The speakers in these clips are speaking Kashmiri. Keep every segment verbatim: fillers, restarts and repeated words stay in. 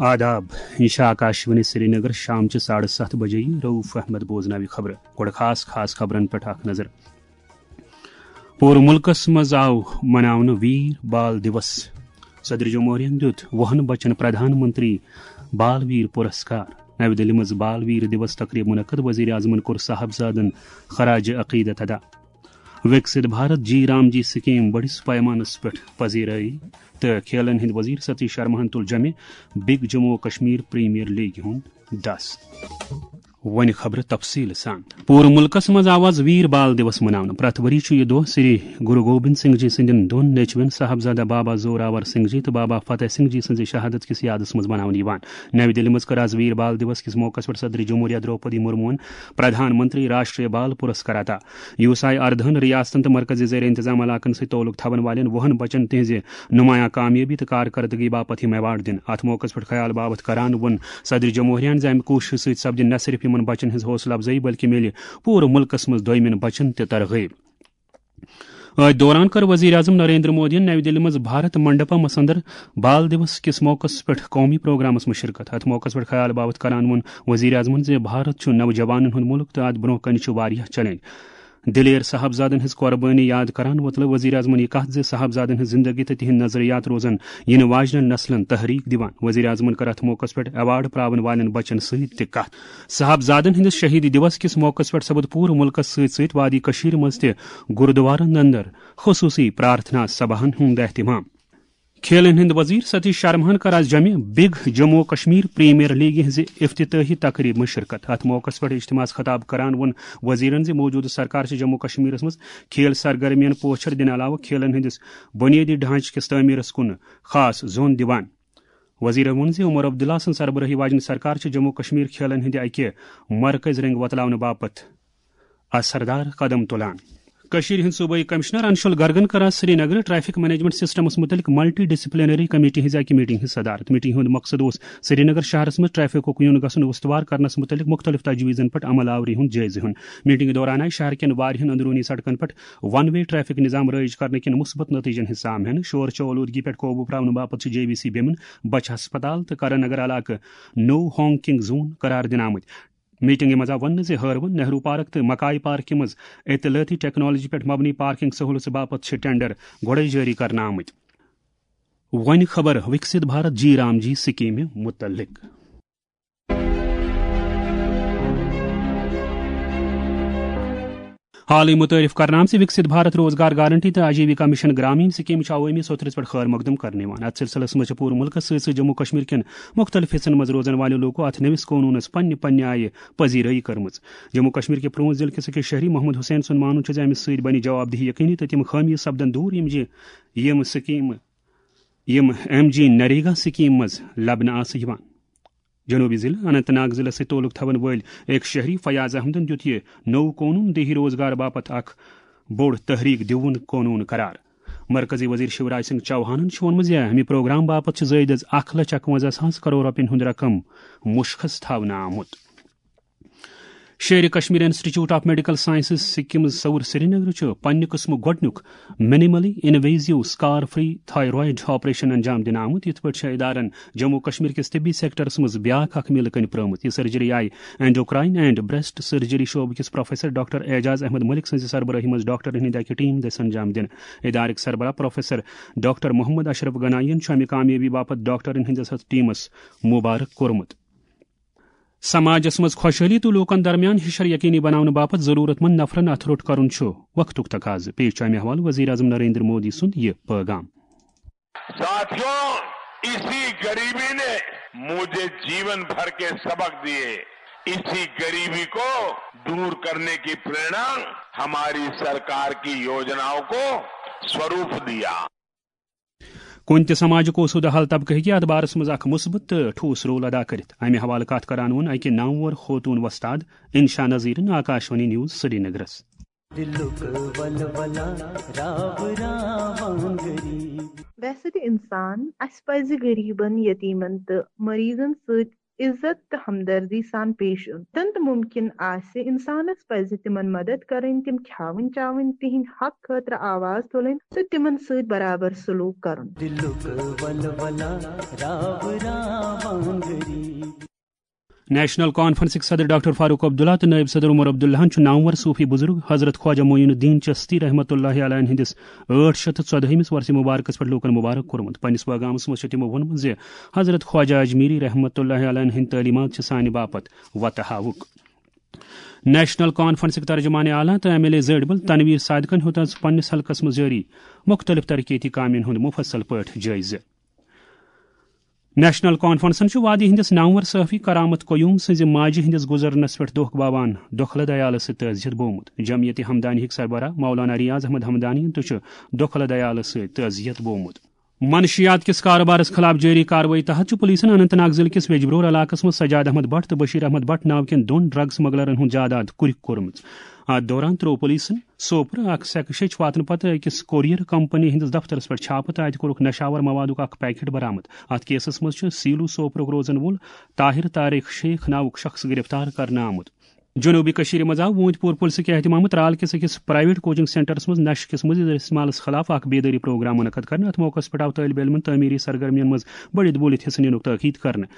آداب، یہ چھِ آکاشوانی سرینگر، شام چہِ ساڑٕ ستھ بجے۔ رؤف احمد بوزناوِ خبرٕ۔ گۄڈٕ خاص خاص خبرن پٮ۪ٹھ اکھ نظر۔ پوٗرٕ مُلکس منٛز آو مناونہٕ ویر بال دیوس۔ صدر جمہوریہن دیُت وُہن بچن پردھان منتری بال ویر پُرسکار۔ نَوِ دِلہِ منٛز بال ویر دیوس تقریٖب منعقد۔ وزیر اعظمن کوٚر صاحبزادن خراج عقیدت ادا۔ وِکسِت بھارت جی رام جی سکیٖم بٔڑِس پیمانس پٮ۪ٹھ پذیرٲیی تہٕ کھیلن ہٕنٛدۍ وزیر ستیش شرماہن تُل جمہِ بِگ جموں و کشمیر پریمیئر لیگہِ ہُنٛد دس۔ وۄنۍ خبرٕ تفصیٖل سان۔ پوٗرٕ مُلکس منٛز آو آز ویر بال دیوس مناونہٕ۔ پرٛٮ۪تھ ؤری چھُ یہِ دۄہ سری گرو گوبند سنگھ جی سٕنٛدٮ۪ن دۄن نیٚچوٮ۪ن صاحبزادہ بابا زوراور سنگھ جی تہٕ بابا فتح سنگھ جی سٕنٛزِ شہادت کِس یادس منٛز مناونہٕ یِوان۔ نَوِ دِلہِ منٛز کٔر آز ویر بال دیوس کِس موقعس پٮ۪ٹھ صدر جمہوریہ درٛوپدی مرموہن پردھان منتری راشٹریہ بال پُرسکار عطا۔ یوٗساے اردہن ریاستن تہٕ مرکزی زیر انتظام علاقن سۭتۍ تعلق تھاون والٮ۪ن وُہن بچن تِہنٛزِ نمایاں کامیٲبی تہٕ کارکردگی باپتھ یِم ایوارڈ دِنہٕ۔ اتھ موقعس پٮ۪ٹھ خیال باوتھ کران ووٚن صدر جمہوریہن زِ امہِ کوٗششہِ سۭتۍ سپدِ نہ صرف یِمن بچن ہٕنٛز حوصلہٕ افزٲیی، بلکہِ میلہِ پوٗرٕ مُلکس منٛز دوٚیمٮ۪ن بچن تہِ ترغیب۔ أتھۍ دوران کٔر وزیر اعظم نریندر مودیَن نَوِ دِلہِ منٛز بھارت منڈپمس اندر بال دیوس کِس موقعس پٮ۪ٹھ قومی پروگرامس منٛز شرکت۔ اتھ موقعس پٮ۪ٹھ خیال باوتھ کران ووٚن وزیر اعظمن زِ بھارت چھُ نوجوانن ہُنٛد مُلک تہٕ اتھ برونٛہہ کنہِ چھِ واریاہ چیلنج۔ دلیر صاحبزادن ہٕنٛز قربٲنی یاد کران وۄتلٲو وزیر اعظمن یہِ کتھ زِ صاحبزادن ہٕنٛز زندگی تہٕ تِہنٛد نظریات روزن یِنہٕ واجنٮ۪ن نسلن تحریک دِوان۔ وزیر اعظمن کٔر اتھ موقعس پٮ۪ٹھ ایوارڈ پراون والٮ۪ن بچن سۭتۍ تہِ کتھ۔ صاحبزادن ہٕنٛدِس شہیدی دیوس کِس موقعس پٮ۪ٹھ سپُد پوٗرٕ مُلکس سۭتۍ سۭتۍ وادی کٔشیٖرِ منٛز تہِ گُردوارن اندر خصوٗصی پرارتھنا سباہن ہُنٛد اہتمام۔ کھیلن ہٕنٛدۍ وزیر ستیش شرماہن کٔر آز جمہِ بِگ جموں و کشمیر پریمیئر لیگہِ ہٕنٛزِ افتتاحی تقریبہِ منٛز شرکت۔ اتھ موقعس پٮ۪ٹھ اجتماعس خطاب کران ووٚن وزیرن زِ موجودٕ سرکار چھِ جموں و کشمیرس منٛز کھیل سرگرمیَن پوچھر دِنہٕ علاوٕ کھیلن ہٕنٛدِس بنیٲدی ڈھانچہٕ کِس تعمیرس کُن خاص زوٚن دِوان۔ وزیرن ووٚن زِ عمر عبداللہ سٕنٛز سربرٲہی واجنہِ سرکار چھِ جموں و کشمیر کھیلن ہٕنٛدِ اکہِ مرکزی رنگ وۄتلاونہٕ باپتھ اثردار قدم تُلان۔ کٔشیٖرِ ہٕنٛدۍ صوبٲئی کمشنر انشول گرگن کٔر آز سرینگرٕ ٹریفک مینجمنٹ سسٹمس مُتعلق ملٹی ڈسپلنری کمیٹی ہٕنٛزِ اکہِ میٹنگ ہٕنٛز صدارت۔ میٹنگ ہُنٛد مقصد اوس سرینگر شہرس منٛز ٹریفکُک یُن گژھُن استوار کرنس مُتعلق مُختٔلِف تجویٖزن پٮ۪ٹھ عمل آوری ہُنٛد جٲیزٕ ہیوٚن۔ میٹنگہِ دوران آیہِ شہر کٮ۪ن واریاہن اندروٗنی سڑکن پٮ۪ٹھ ون وے ٹریفک نظام رٲیِج کرنہٕ کِنۍ مثبت نتیٖجن ہٕنٛز سام ہٮ۪نہٕ۔ شور شو آلودگی پٮ۪ٹھ قوبوٗ پراونہٕ باپتھ چھِ جے وی سی بیمن بچہِ ہسپتال تہٕ کرن نگر علاقہٕ نو ہانکنگ زون قرار دِنہٕ آمٕتۍ۔ میٹنگہِ منٛز آو وننہٕ زِ ہٲروَن، نہرو پارک تہٕ مکائی پارکہِ منٛز اطلاعٲتی ٹیکنالوجی پٮ۪ٹھ مبنی پارکنگ سہولژٕ باپتھ چھِ ٹینڈر گۄڈَے جٲری کرنہٕ آمٕتۍ۔ وۄنۍ خبر وِکسِت بھارت جی رام جی سکیٖمہِ مُتعلق۔ حالٕے مُتعٲرِف کرنہٕ آمژِ وِکسِت بھارت روزگار گارنٹی تہٕ آجیوِکا مِشن گرامین سکیٖم چھِ عوٲمی سوٚتھرِس پٮ۪ٹھ خٲر مقدم کرنہٕ یِوان۔ اَتھ سلسلس منٛز چھِ پوٗرٕ مُلکَس سۭتۍ سۭتۍ جموں کشمیر کٮ۪ن مُختٔلِف حِصن منٛز روزن والٮ۪و لوٗکو اَتھ نٔوِس قونوٗنَس پننہِ پننہِ آیہِ پذیرٲیی کٔرمٕژ۔ جموں کشمیر کہِ پرٛون ضلعہٕ کِس أکِس شہری محمد حسین سُنٛد مانُن چھُ زِ اَمہِ سۭتۍ بنہِ جواب دہی یقینی تہٕ تِم خٲمیہِ سپدن دوٗر یِم زِ یِم سکیٖمہٕ یِم ایم جی نریگا سکیٖم منٛز لبنہٕ آسہٕ یِوان۔ جنوبی ضلعہٕ اننت ناگ ضلعس سۭتۍ تعلق تھاون وٲلۍ أکۍ شہری فیاض احمدن دیُت یہِ نوٚو قونوٗن دیہی روزگار باپتھ اکھ بوٚڑ تحریک دیوُن قونوٗن قرار۔ مرکزی وزیر شیوراج سنگھ چوہانن چھُ ووٚنمُت زِ امہِ پروگرام باپتھ چھِ زٲیدٕ از اکھ لچھ اکونزہ ساس کرور رۄپین ہُنٛد رقم مُشخص تھاونہٕ آمُت۔ Sher Kashmir institute of medical sciences SKIMS Soura Srinagar چھُ پننہِ قٕسمُک گۄڈٕنیُک minimally invasive scar free thyroid operation انجام دِنہٕ آمُت۔ یِتھ پٲٹھۍ چھےٚ ادارن جموں کشمیر کِس طبی سیکٹرس منٛز بیاکھ اکھ میلہٕ کٔنۍ پرٲومٕژ۔ یہِ سرجری آیہِ اینڈوکراین اینڈ بریسٹ سرجری شعبہٕ کِس پروفیسر ڈاکٹر اعجاز احمد ملک سٕنٛزِ سربرٲہی منٛز ڈاکٹرن ہٕنٛدِ اکہِ ٹیم دٔسۍ انجام دِنہٕ۔ ادارٕکۍ سربراہ پروفیسر ڈاکٹر محمد اشرف گنائی یَن چھُ امہِ کامیٲبی باپتھ ڈاکٹرن ہٕنٛدِس اتھ ٹیمس مبارک کوٚرمُت۔ سماجس منٛز خۄشحٲلی تہٕ لوٗکن درمیان ہِشر یقینی بناونہٕ باپتھ ضروٗرت مند نفرن اتھٕ روٚٹ کرُن چھُ وقتُک تقاضہٕ۔ پیش چھُ امہِ حوالہٕ وزیر اعظم نریندر مودی سُنٛد یہِ پٲغام۔ साथियों, इसी गरीबी ने मुझे जीवन भर के सबक दिए। इसी गरीबी को दूर करने की प्रेरणा हमारी सरकार की योजनाओं को स्वरूप दिया। کُنہِ تہِ سماجُک اوسودٕ حل طبقہٕ ہیٚکہِ اتھ بارس منٛز اکھ مثبت تہٕ ٹھوس رول ادا کٔرِتھ۔ امہِ حوالہٕ کتھ کران ووٚن اکہِ نامور خوتون وۄستاد انشا نذیرن آکاشوانی نیوز سرینگرس۔ دِلُک ولولہ راو راوان غریٖب۔ ویسے تہِ انسان، اسہِ پزِ غریبن، یتیمن تہٕ مریضن سۭتۍ عزت تہٕ ہمدردی سان پیش یُن۔ یوٚتن تہٕ مُمکِن آسہِ، اِنسانس پزِ تِمن مدد کرٕنۍ، تِم کھیاوٕنۍ چاوٕنۍ، تِہنٛدِ حق خٲطرٕ آواز تُلٕنۍ تہٕ تِمن سۭتۍ برابر سلوک کرُن۔ دلُک ولولہ راو راوان غریب۔ نیشنل کانفرنسٕکۍ صدر ڈاکٹر فاروق عبداللہ تہٕ نٲیِب صدر عمر عبداللہن چھُ نامور صوفی بزرگ حضرت خواجہ معین الدین چشتی رحمۃ اللہ علیہ ہٕنٛدِس ٲٹھ شیٚتھ تہٕ ژۄدہمِس ورثہ مبارکس پٮ۪ٹھ لوٗکن مبارک کوٚرمُت۔ پننِس پیغامس منٛز چھُ تِمو ووٚنمُت زِ حضرت خواجہ اجمیری رحمۃ اللہ علیہ ہٕنٛدۍ تعلیمات چھِ سانہِ باپتھ وتہٕ ہاوُک۔ نیشنل کانفرنسٕکۍ ترجمان اعلیٰ تہٕ ایم ایل اے زٲڈبل تنویر صادقن ہیوٚت آز پننِس حلقس منٛز جٲری مُختٔلِف ترقیتی کامٮ۪ن ہُنٛد مُفصل پٲٹھۍ جٲیزٕ۔ نیشنل کانفرنسن چھُ وادی ہٕنٛدِس نامور صحافی کرامت قیوم سٕنٛزِ ماجہِ ہٕنٛدِس گُزرنس پٮ۪ٹھ دۄکھ باوان دۄکھلہٕ دیالہٕ سۭتۍ تعزیت بوومُت۔ جمعیت ہمدانی ہٕکۍ سربراہ مولانا ریاض احمد ہمدانی تہِ چھُ دۄکھلہٕ دیالہٕ سۭتۍ تعزیت بوومُت۔ منشیات کِس کارٕبارس خلاف جٲری کاروٲیی تحت چھُ پُلیٖسن اننت ناگ ضلعہٕ کِس ویجبرور علاقس منٛز سجاد احمد بٹ تہٕ بشیر احمد بٹ ناو کٮ۪ن دۄن ڈرگ سمگلرن ہُنٛد جائیداد کُرِ کوٚرمُت۔ اتھ دوران ترٛوو پُلیٖسن سوپرٕ اکھ سیٚکہٕ شیٚچھ واتنہٕ پتہٕ أکِس کوریر کمپنی ہٕنٛدِس دفترس پٮ۪ٹھ چھاپہٕ تہٕ اتہِ کوٚرُکھ نشاور موادُک اکھ پیکٹ برآمد۔ اتھ کیسس منٛز چھُ سیلو سوپرُک روزن وول طاہر طارق شیخ ناوُک شخص گرفتار کرنہٕ آمُت۔ جنوبی کشمیر منٛز آو ووٗنتۍ پور پُلسہٕ کہِ اہتمامہٕ ترال کِس أکِس پرائیویٹ کوچنگ سینٹرس منٛز نشہٕ کِس مُضر استعمالس خلاف اکھ بیدٲری پروگرام منعقد کرنہٕ۔ اتھ موقعس پٮ۪ٹھ آو طٲلب علمن تعمیری سرگرمین منٛز بٔڑِتھ بوٗلِتھ حصہٕ نِنُک تٲکید کرنہٕ۔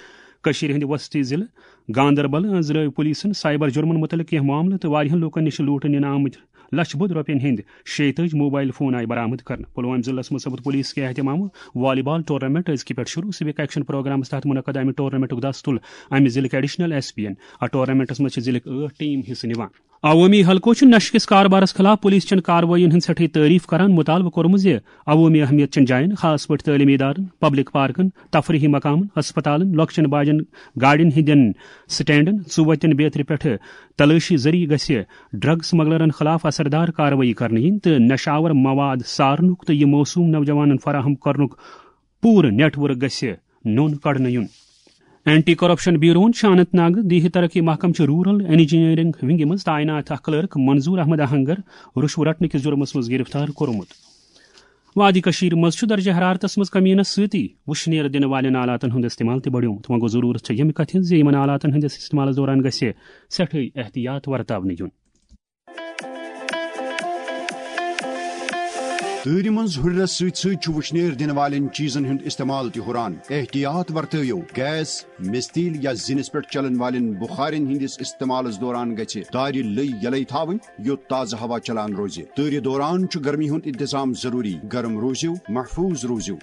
کشمیر ہٕنٛدِ وسطی ضلعہٕ گاندربل أنٛزرٲوۍ پُلیٖسن سایبر جُرمن مُتعلق کینٛہہ معاملہٕ تہٕ واریاہن لوٗکن نِش لوٗٹہٕ نِنہٕ آمٕتۍ لچھِ بوٚد رۄپین ہٕنٛدۍ شیٚیہِ تٲجۍ موبایل فون آیہِ برآمد کرنہٕ۔ پلوامہِ ضلعس منٛز سپُد پُلیٖس کہِ اہتمامہٕ والی بال ٹورنامنٹ أزکہِ پٮ۪ٹھ شروع۔ سِوک ایکشن پروگرامس تحت منعقد امہِ ٹورنامنٹُک دس تُل امہِ ضلعٕکۍ ایڈیشنل ایس پی ین۔ اتھ ٹورنامنٹس منٛز چھِ ضلعٕکۍ ٲٹھ ٹیم حصہٕ نِوان۔ عوٲمی حلقو چھُ نشہٕ کِس کاربارس خلاف پُلیٖس چٮ۪ن کاروٲیین ہٕنٛز سٮ۪ٹھاہ تعریف کران، مُطالبہٕ کوٚرمُت زِ عوٲمی اہمیت چٮ۪ن جاین، خاص پٲٹھۍ تعلیمی ادارن، پبلک پارکن، تفریحی مقامن، ہسپتالن، لۄکچٮ۪ن باجٮ۪ن گاڑٮ۪ن ہٕنٛدٮ۪ن سٹینڈن، ژُوتٮ۪ن بیترِ پٮ۪ٹھٕ تلٲشی ذٔریعہٕ گژھِ ڈرگ سمگلرن خلاف اثردار کاروٲیی کرنہٕ یِنۍ تہٕ نشہٕ آور مواد سارنُک تہٕ یہِ موصوم نوجوانن فراہم کرنُک پوٗرٕ نیٹ ورک گژھِ نوٚن کڑنہٕ یُن۔ اینٹی کرپشن بیوروہن چھُ اننت ناگ دیہی ترقی محکمہٕ چہِ رورل انجینئرنگ ونگہِ منٛز تعینات اکھ کلرک منظور احمد آہنگر رُشوٕ رٹنہٕ کِس جُرمس منٛز گرفتار کوٚرمُت۔ وادی کٔشیٖر منٛز چھُ درجہ حرارتس منٛز کمی یِنس سۭتی وُشنیر دِنہٕ والٮ۪ن آلاتن ہُنٛد استعمال تہِ بڑیومُت۔ وۄنۍ گوٚو ضروٗرت چھےٚ ییٚمہِ کتھِ ہٕنٛز زِ یِمن آلاتن ہٕنٛدِس استعمالس دوران گژھِ سٮ۪ٹھٕے احتیاط ورتاونہٕ یُن۔ تۭرِ منٛز ہُرٮ۪رس سۭتۍ سۭتۍ چھُ وُشنیر دِنہٕ والٮ۪ن چیٖزن ہُنٛد استعمال تہِ ہُران۔ احتیاط ورتٲوِو۔ گیس، مِستیٖل یا زِنِس پٮ۪ٹھ چلن والٮ۪ن بُخارٮ۪ن ہٕنٛدِس استعمالس دوران گژھِ دارِ لٔے یلے تھاوٕنۍ، یوٚت تازٕ ہوا چلان روزِ۔ تۭرِ دوران چھُ گرمی ہُنٛد انتظام ضروٗری۔ گرم روٗزِو، محفوٗظ روٗزِو۔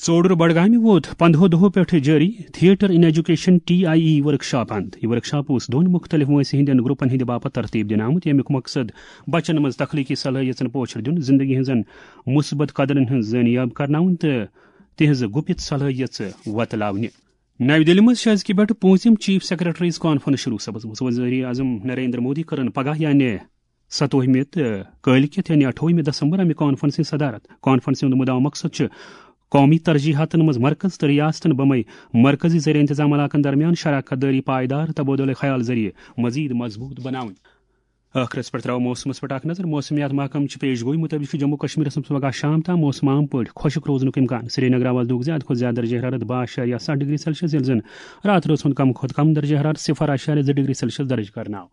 ژوٚڈُر بڈگامہِ ووت پندہو دۄہو پٮ۪ٹھ جٲری theatre in education T I E workshop اند۔ یہِ ورکشاپ اوس دۄن مُختٔلِف وٲنٛسہِ ہٕنٛدٮ۪ن گروپن ہٕنٛدِ باپتھ ترتیٖب دِنہٕ آمُت، ییٚمیُک مقصد بچن منٛز تخلیقی صلٲحیژن پوچھر دیُن، زندگی ہٕنٛزن مثبت قدرن ہٕنٛز زٲنیاب کرناوُن تہٕ تِہنٛز گُپِت صلٲحیژٕ وۄتلاونہِ۔ نَوِ دِلہِ منٛز چھِ أزکہِ پٮ۪ٹھ پوٗنٛژِم چیف سیکرٹریز کانفرنس شروع سپٕزمٕژ۔ وزیر اعظم نریندر مودی کٔرٕن پگاہ یعنی ستووُہمہِ تہٕ کٲلۍ کٮ۪تھ یعنی اَٹھووُہمہِ دسمبر امہِ کانفرنسہِ صدارت۔ کانفرنسہِ ہُنٛد مُدعا مقصد چھُ قومی ترجیحاتن منٛز مرکز تہٕ ریاستن بمے مرکزی زیر انتظام علاقن درمیان شراکت دٲری پائیدار تبادلہ خیال ذٔریعہٕ مزید مضبوط بناوٕنۍ۔ ٲخرس پٮ۪ٹھ ترٛاوو موسمس پٮ۪ٹھ اکھ نظر۔ موسمیات محکمہٕ چہِ پیش گویی مُطٲبِق چھُ جموں کشمیرس منٛز پگاہ شام تام موسم عام پٲٹھۍ خۄشک روزنُک امکان۔ سرینگر آواز دِیُک زیادٕ کھۄتہٕ زیادٕ درجہ حرارت باہ اعشاریہ ستھ ڈگری سیلسیس، ییٚلہِ زن راتہٕ رٲژ ہُنٛد کم کھۄتہٕ کم درجہ حرارت صفر اعشاریہ زٕ ڈگری سیلسیس درج کرنہٕ آو۔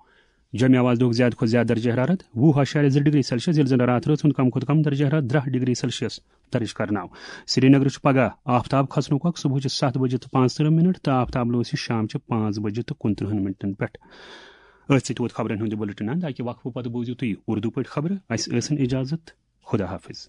جوٚمہِ آواز دِیُک زیادٕ کھۄتہٕ زیادٕ درجہ حرارت وُہ اعشاریہ زٕ ڈگری سیلسیس، ییٚلہِ زن راتہٕ رٲژ ہُنٛد کم کھۄتہٕ کم درجہ حرارت ترٛہ ڈگری سیلسیس درج کرنہٕ آو۔ سرینگرٕ چھُ پگاہ آفتاب کھسنُک وق صبحٕچہِ ستھ بجہِ تہٕ پانٛژترٕہ منٹ تہٕ آفتاب لوسہِ شامچہِ پانٛژھ بجہِ تہٕ کُنترٕہن منٹن پٮ۪ٹھ۔ أتھۍ سۭتۍ ووت خبرن ہُنٛد یہِ بُلٹن اند۔ اکہِ وقفہٕ پتہٕ بوٗزِو تُہۍ اردو پٲٹھۍ خبرٕ۔ اسہِ ٲسِن اجازت۔ خدا حافظ۔